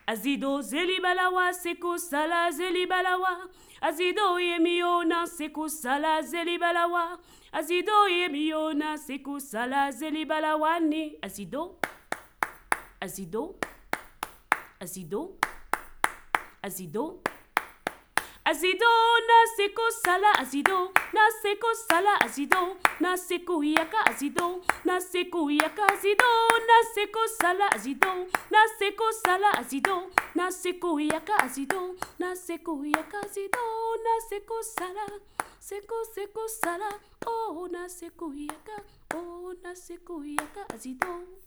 Azido zeli balawa seko sala zeli balawa. Azido yemiona seko sala zeli balawa. Azido yemiona seko sala zeli balawani. Azido. Azido. Azido. Azido. Azido na seko sala azido na seko sala azido na seko yaka azido na seko yaka azido na seko sala azido na seko sala azido na seko yaka azido na seko yaka azido na seko sala seko sala oh na seko yaka azido.